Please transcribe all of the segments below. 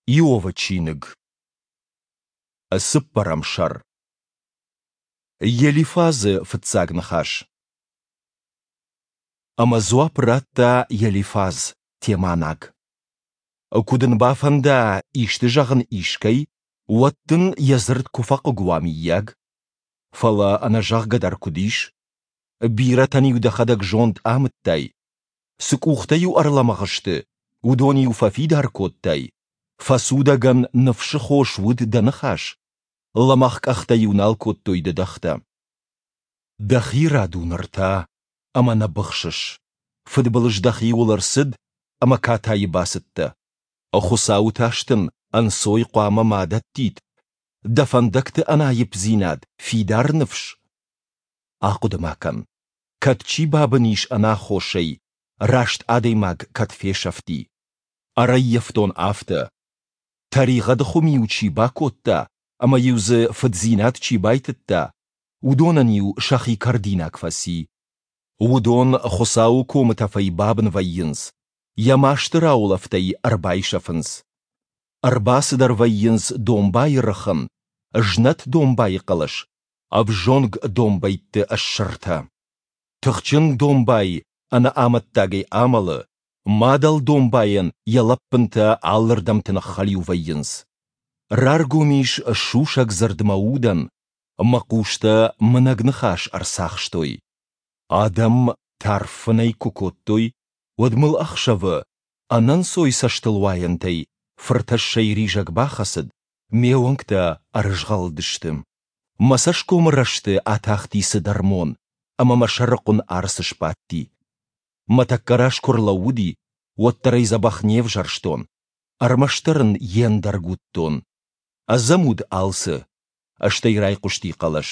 Иовы чиныг. Цыппӕрӕм сӕр. Елифазы фыццаг ныхас. Ӕмӕ дзуапп радта Елифаз, теманаг. Куы дын бафӕнда исты зӕгъын искӕй, уӕд дын йӕ дзырд куы фӕхъыг уа, мыййаг? Фӕлӕ ӕнӕзӕгъгӕ дӕр куыд ис? Бирӕтӕн-иу дӕхӕдӕг зонд амыдтай, Цы къухтӕ-иу ӕрлӕмӕгъ сты, уыдон-иу фӕфидар кодтай, фӕцудӕгӕн ныфсы хос уыд дӕ ныхас, лӕмӕгъ къӕхтӕ-иу нал кодтой дыдӕгътӕ. Дӕхи рад у ныр та, ӕмӕ нӕ быхсыс. Фыдбылыз дӕхиуыл ӕрцыд ӕмӕ катайы бацыдтӕ. Хуыцауы тас дын ӕнцой хъуамӕ ма дӕттид, дӕ фӕндӕгты ӕнаипдзинад, фидар ныфс. Ахъуыды-ма кӕн, кӕд чи бабын ис ӕнаххосӕй, раст адӕймаг кӕд фесӕфти. Ӕрӕййӕфтон афтӕ. Тӕригъӕды хуым-иу чи бакодта ӕмӕ-иу дзы фыддзинад чи байтыдта, уыдонӕн-иу сӕхи кӕрдинаг фӕци. Уыдон Хуыцауы комытӕфӕй бабын вӕййынц, йӕ масты раулӕфтӕй ӕрбайсӕфынц. Ӕрбацыдӕр вӕййынц домбайы рыхын, знӕт домбайы хъӕлӕс ӕвзонг домбӕйтты ссыртӕ. Тыхджын домбай ӕнӕ амӕттагӕй амӕлы, мадӕл домбайӕн йӕ лӕппынтӕ алырдӕмты ныххӕлиу вӕййынц. Раргом ис сусӕг дзырд мӕ удӕн, мӕ хъустӕ мынӕг ныхас ӕрцахстой. Адӕм тарф фынӕй куы кодтой, уӕд мыл ӕхсӕвы ӕнӕнцой цӕстылуайӕнтӕй фыртӕссӕй ризӕг бахӕцыд, ме уӕнгтӕ ӕрызгъӕлдысты. Мӕ цӕсгомы рӕзты атахти цыдӕр мон, ӕмӕ мӕ сӕрыхъуын арц сбадти. Мӕ тӕккӕ раз куы рлӕууыди, уӕддӕр ӕй дзӕбӕх не взӕрстон, ӕрмӕстдӕр ын йе ндӕрг уыдтон. Ӕдзӕм уыд алцы. Стӕй райхъуысти хъӕлӕс.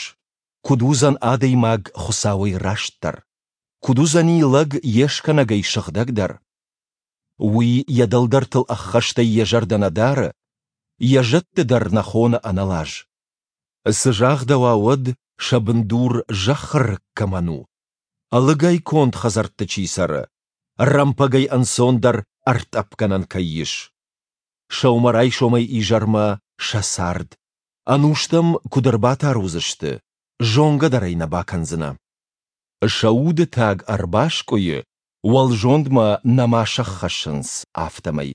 Куыд уыдзӕн адӕймаг Хуыцауӕй растдӕр? Куыд уыдзӕни лӕг йе скӕнӕгӕй сыгъдӕгдӕр? Уый йӕ дӕлдӕртыл ӕххӕстӕй йӕ зӕрдӕ нӕ дары, йӕ зӕдты дӕр нӕ хоны ӕнӕлаз. Цы загъдӕуа уӕд, сӕ бындур зӕххы рыг кӕмӕн у? Ӕлыгӕй конд хӕдзӕртты чи цӕры, рӕмпӕгӕй ӕнцондӕр ӕртъӕпгӕнӕн кӕй ис. Сӕумӕрайсомӕй изӕрмӕ сӕ цард, ӕнустӕм куыд ӕрбатар уыдзысты, зонгӕ дӕр ӕй нӕ бакӕндзынӕ. Сӕ уды таг ӕрбаскъуыйы, уӕлзондмӕ нӕма сӕххӕссынц, афтӕмӕй.